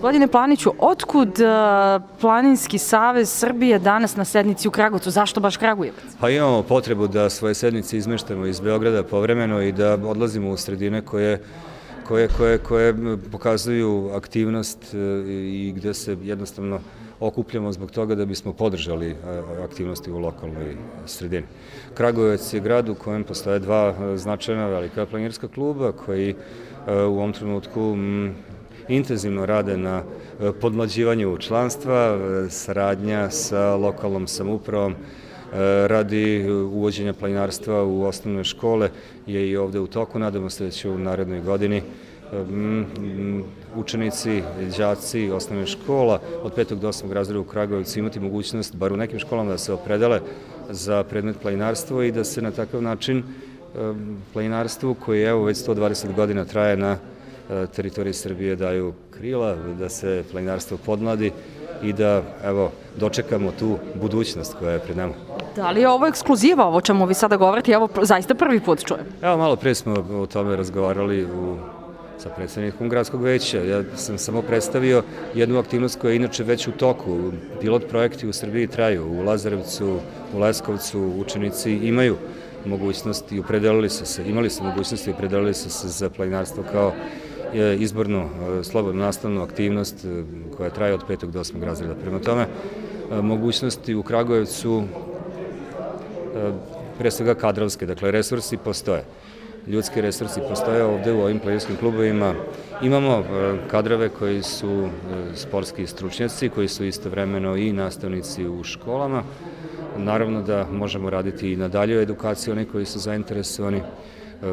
Gospodine Planiću, otkud Planinski savez Srbije danas na sednici u Kragujevcu? Zašto baš Kragujevac? Pa imamo potrebu da svoje sednice izmeštamo iz Beograda povremeno i da odlazimo u sredine koje pokazuju aktivnost i gde se jednostavno okupljamo zbog toga da bismo podržali aktivnosti u lokalnoj sredini. Kragujevac je grad u kojem postoje dva značajna velika planinarska kluba koji u ovom trenutku intenzivno rade na podmlađivanju članstva, saradnja sa lokalnom samoupravom radi uvođenja planinarstva u osnovne škole je i ovde u toku. Nadamo se da će u narednoj godini učenici, đaci osnovne škola od 5. do 8. razreda u Kragujevcu imati mogućnost, bar u nekim školama, da se opredele za predmet planinarstvo i da se na takav način planinarstvu, koji evo već 120 godina traje na teritoriji Srbije, daju krila, da se planinarstvo podmladi i da dočekamo tu budućnost koja je pred nama. Da li je ovo ekskluziva, ovo čemu vi sada govorite? Ja ovo zaista prvi put čujem. Evo, malo pre smo o tome razgovarali sa predsednikom gradskog veća. Ja sam samo predstavio jednu aktivnost koja je inače već u toku. Pilot projekti u Srbiji traju. U Lazarevcu, u Leskovcu učenici imaju mogućnost i imali su mogućnost i opredelili su se za planinarstvo kao izbornu slobodnu nastavnu aktivnost koja traje od 5. do 8. razreda. Prema tome, mogućnosti u Kragujevcu pre svega kadrovske, dakle resursi postoje. Ljudski resursi postoje ovde u ovim planinarskim klubovima. Imamo kadrove koji su sportski stručnjaci, koji su istovremeno i nastavnici u školama. Naravno da možemo raditi i na daljoj edukaciji oni koji su zainteresovani.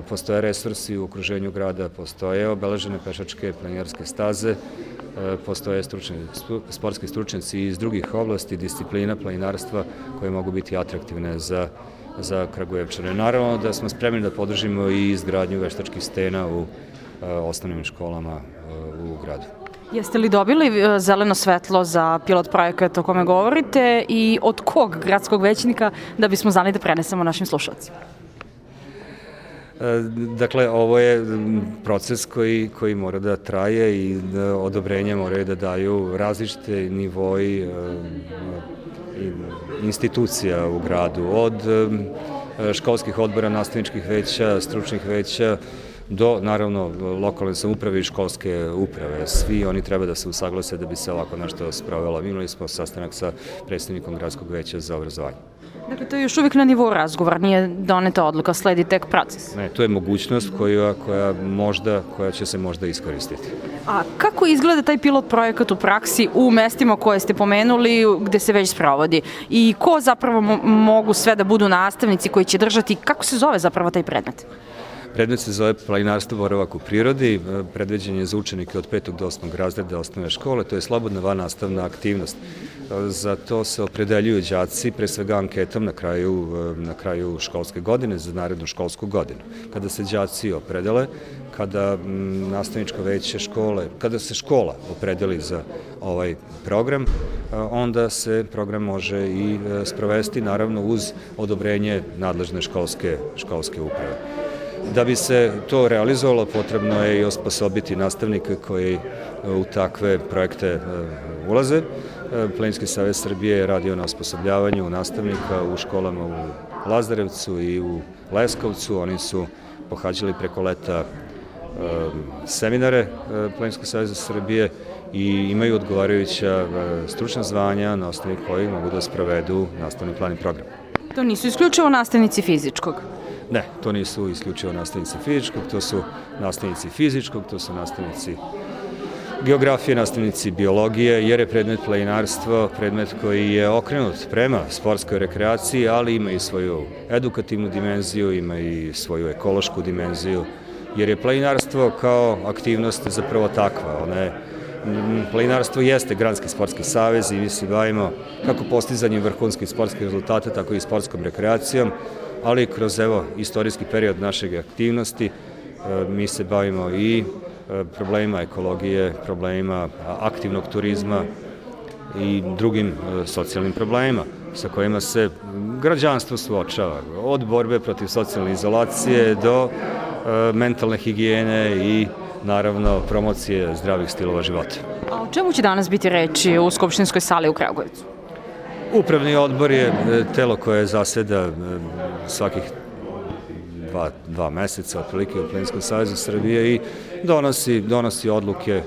Postoje resursi u okruženju grada, postoje obeležene pešačke planinarske staze, postoje sportski stručnjaci iz drugih oblasti, disciplina planinarstva koje mogu biti atraktivne za Kragujevčane. Naravno da smo spremni da podržimo i izgradnju veštačkih stena u osnovnim školama u gradu. Jeste li dobili zeleno svetlo za pilot projekat o kome govorite i od kog gradskog većnika da bismo znali da prenesemo našim slušalcima? Dakle, ovo je proces koji mora da traje i odobrenje moraju da daju različite nivoji institucija u gradu, od školskih odbora, nastavničkih veća, stručnih veća, do, naravno, lokalne samouprave i školske uprave. Svi oni treba da se usaglase da bi se ovako nešto sprovelo. Imali smo sastanak sa predstavnikom gradskog veća za obrazovanje. Dakle, to je još uvijek na nivou razgovora, nije doneta odluka, sledi tek proces. Ne, to je mogućnost koja će se možda iskoristiti. A kako izgleda taj pilot projekat u praksi u mestima koje ste pomenuli, gde se već sprovodi? I ko zapravo mogu sve da budu nastavnici koji će držati, kako se zove zapravo taj predmet? Predmet se zove planinarstvo boravak u prirodi, predviđen je za učenike od 5. do 8. razreda osnovne škole, to je slobodna vannastavna aktivnost. Za to se opredeljuju đaci, pre svega anketom na kraju školske godine, za narednu školsku godinu. Kada se đaci opredele, kada nastavničko veće škole, kada se škola opredeli za ovaj program, onda se program može i sprovesti, naravno uz odobrenje nadležne školske uprave. Da bi se to realizovalo, potrebno je i osposobiti nastavnike koji u takve projekte ulaze. Planinarski savez Srbije je radio na osposobljavanju nastavnika u školama u Lazarevcu i u Leskovcu. Oni su pohađali preko leta seminare Planinarskog saveza Srbije i imaju odgovarajuća stručna zvanja na osnovi kojih mogu da sprovedu nastavni plan i program. To nisu isključivo nastavnici fizičkog? Ne, to nisu isključivo nastavnici fizičkog, to su nastavnici fizičkog, to su nastavnici geografije, nastavnici biologije, jer je predmet planinarstvo predmet koji je okrenut prema sportskoj rekreaciji, ali ima i svoju edukativnu dimenziju, ima i svoju ekološku dimenziju, jer je planinarstvo kao aktivnost zapravo takva. Planinarstvo jeste granski sportski savez i mi se bavimo kako postizanjem vrhunskih sportskih rezultata, tako i sportskom rekreacijom, ali kroz istorijski period našeg aktivnosti mi se bavimo i problemima ekologije, problemima aktivnog turizma i drugim socijalnim problemima sa kojima se građanstvo suočava. Od borbe protiv socijalne izolacije do mentalne higijene i naravno promocije zdravih stilova života. A o čemu će danas biti reči u Skupštinskoj sali u Kragujevcu? Upravni odbor je telo koje zaseda svakih dva meseca otprilike u Planinskom savezu Srbije i donosi odluke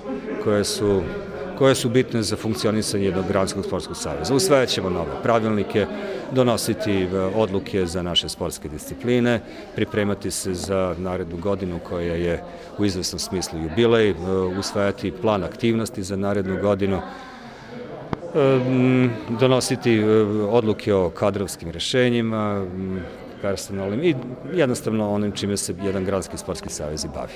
koje su bitne za funkcionisanje jednog gradskog sportskog saveza. Usvajat ćemo nove pravilnike, donositi odluke za naše sportske discipline, pripremati se za narednu godinu koja je u izvesnom smislu jubilej, usvajati plan aktivnosti za narednu godinu, donositi odluke o kadrovskim rešenjima, personalnim i jednostavno onim čime se jedan gradski sportski savez i bavi.